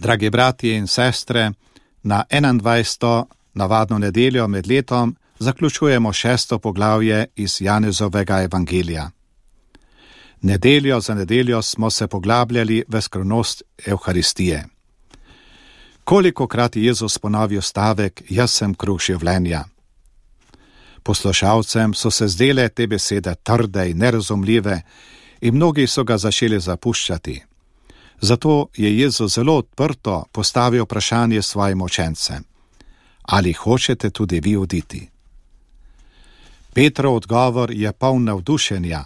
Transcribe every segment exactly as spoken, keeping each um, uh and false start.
Dragi bratje in sestre, na enaindvajseto navadno nedeljo med letom zaključujemo šesto poglavje iz Janezovega evangelija. Nedeljo za nedeljo smo se poglabljali v skrivnost Evharistije. Kolikokrat je Jezus ponovil stavek, jaz sem kruh življenja. Poslušalcem so se zdele te besede trde in nerazumljive in mnogi so ga začeli zapuščati. Zato je Jezus zelo odprto postavil vprašanje svojim učencem. Ali hočete tudi vi oditi? Petrov odgovor je poln navdušenja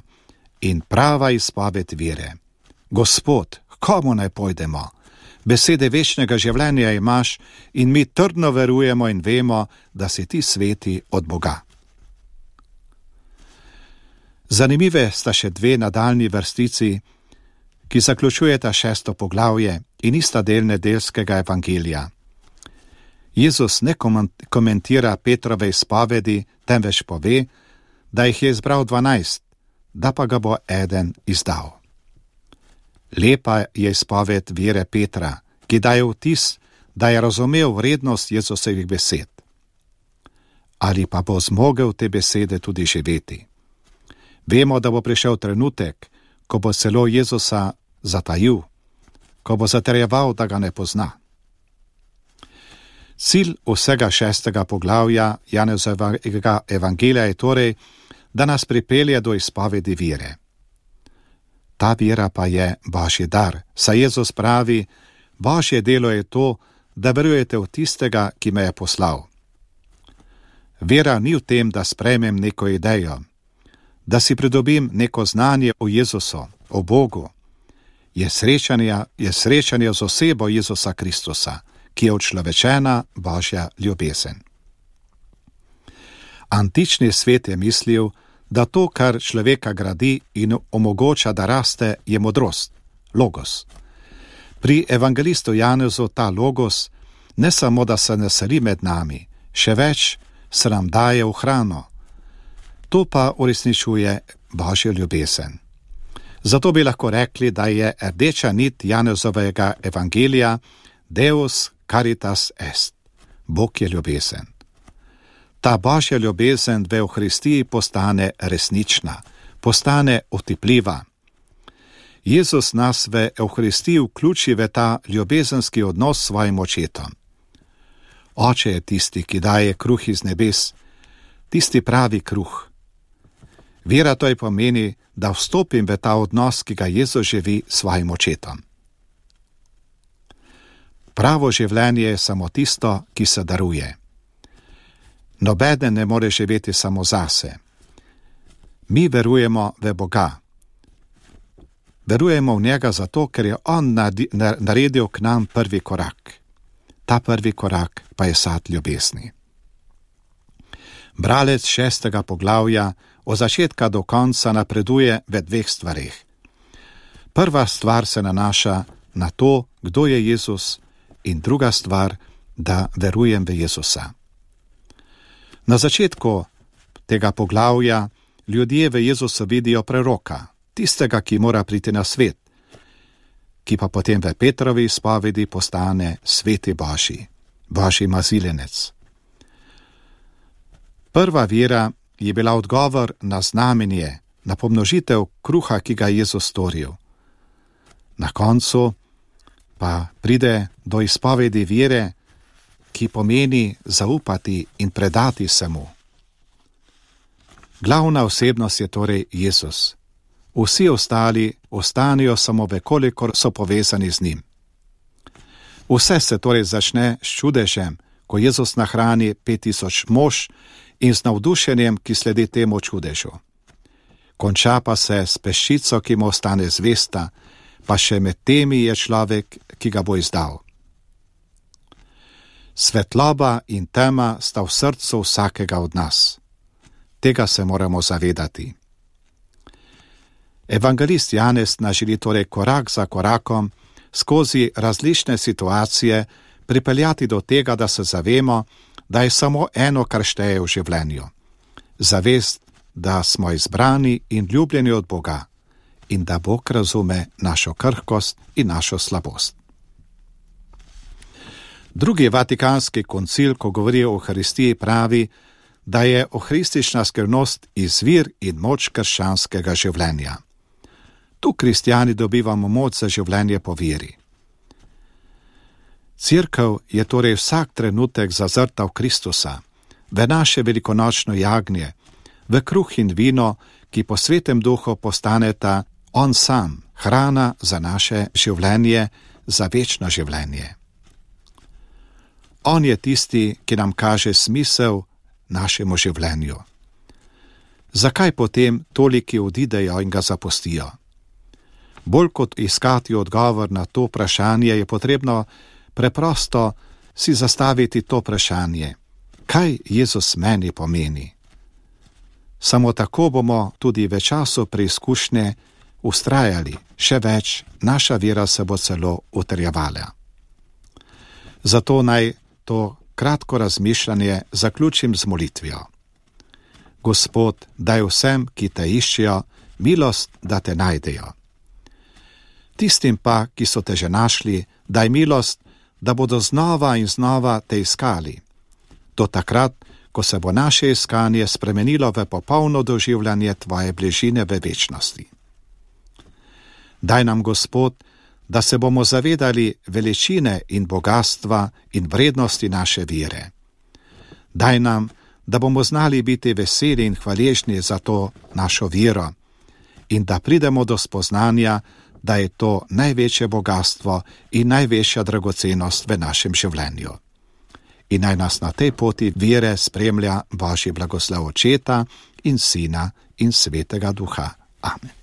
in prava izpoved vere. Gospod, komu naj pojdemo? Besede večnega življenja imaš in mi trdno verujemo in vemo, da si ti sveti od Boga. Zanimive sta še dve nadaljni vrstici, ki zaključujeta šesto poglavje in ista del nedeljskega evangelija. Jezus ne komentira Petrove izpovedi, temveč pove, da jih je izbral dvanajst, da pa ga bo eden izdal. Lepa je izpoved vere Petra, ki daje vtis, da je razumel vrednost Jezusovih besed. Ali pa bo zmogel te besede tudi živeti? Vemo, da bo prišel trenutek, ko bo celo Jezusa zatajil, ko bo zatrjeval, da ga ne pozna. Cilj vsega šestega poglavja Janezovega evangelija je torej, da nas pripelje do izpovedi vere. Ta vera pa je Božji dar, saj Jezus pravi, Božje delo je to, da verujete v tistega, ki me je poslal. Vera ni v tem, da sprejmem neko idejo, da si pridobim neko znanje o Jezusu, o Bogu. Je srečanje, je srečanje z osebo Jezusa Kristusa, ki je učlovečena Božja ljubezen. Antični svet je mislil, da to, kar človeka gradi in omogoča, da raste, je modrost, logos. Pri evangelistu Janezu ta logos ne samo, da se naseli med nami, še več se nam daje v hrano. To pa uresničuje Božjo ljubezen. Zato bi lahko rekli, da je rdeča nit Janezovega evangelija Deus caritas est, Bog je ljubezen. Ta Božja ljubezen v Evharistiji postane resnična, postane otipljiva. Jezus nas v Evharistiji vključi v ta ljubezenski odnos s svojim očetom. Oče je tisti, ki daje kruh iz nebes, tisti pravi kruh. Vera to je pomeni, da vstopim v ta odnos, ki ga Jezus živi s svojim očetom. Pravo življenje je samo tisto, ki se daruje. Nobeden ne more živeti samo zase. Mi verujemo v Boga. Verujemo v njega zato, ker je on naredil k nam prvi korak. Ta prvi korak pa je sad ljubezni. Bralec šestega poglavja od začetka do konca napreduje v dveh stvareh. Prva stvar se nanaša na to, kdo je Jezus, in druga stvar, da verujem v Jezusa. Na začetku tega poglavja ljudje v Jezusu vidijo preroka, tistega, ki mora priti na svet, ki pa potem v Petrovi izpovedi postane sveti Božji, Božji mazilenec. Prva vera je bila odgovor na znamenje, na pomnožitev kruha, ki ga je Jezus storil. Na koncu pa pride do izpovedi vere, ki pomeni zaupati in predati se mu. Glavna osebnost je torej Jezus. Vsi ostali ostanejo samo vekolikor so povezani z njim. Vse se torej začne s čudežem, ko Jezus nahrani pet tisoč mož in z navdušenjem, ki sledi temu čudežu. Konča pa se s peščico, ki mu ostane zvesta, pa še med temi je človek, ki ga bo izdal. Svetloba in tema sta v srcu vsakega od nas. Tega se moramo zavedati. Evangelist Janez nas želi torej korak za korakom skozi različne situacije pripeljati do tega, da se zavemo, da je samo eno, kar šteje v življenju. Zavest, da smo izbrani in ljubljeni od Boga in da Bog razume našo krhkost in našo slabost. Drugi vatikanski koncil, ko govori o Euharistiji, pravi, da je euharistična skrivnost izvir in moč krščanskega življenja. Tu kristjani dobivamo moč za življenje po veri. Cerkev je torej vsak trenutek zazrta v Kristusa, v naše velikonočno jagnje, v kruh in vino, ki po svetem duhu postaneta on sam, hrana za naše življenje, za večno življenje. On je tisti, ki nam kaže smisel našemu življenju. Zakaj potem toliki odidejo in ga zapustijo? Bolj kot iskati odgovor na to vprašanje, je potrebno preprosto si zastaviti to vprašanje. Kaj Jezus meni pomeni? Samo tako bomo tudi v času preizkušnje ustrajali, še več, naša vera se bo celo utrjevala. Zato naj to kratko razmišljanje zaključim z molitvijo. Gospod, daj vsem, ki te iščejo, milost, da te najdejo. Tistim pa, ki so te že našli, daj milost, da bodo znova in znova te iskali. Do takrat, ko se bo naše iskanje spremenilo v popolno doživljanje tvoje bližine v večnosti. Daj nam, Gospod, da se bomo zavedali veličine in bogatstva in vrednosti naše vere. Daj nam, da bomo znali biti veseli in hvaležni za to našo vero in da pridemo do spoznanja, da je to največje bogatstvo in največja dragocenost v našem življenju. In naj nas na tej poti vere spremlja Božji blagoslov Očeta in Sina in Svetega Duha. Amen.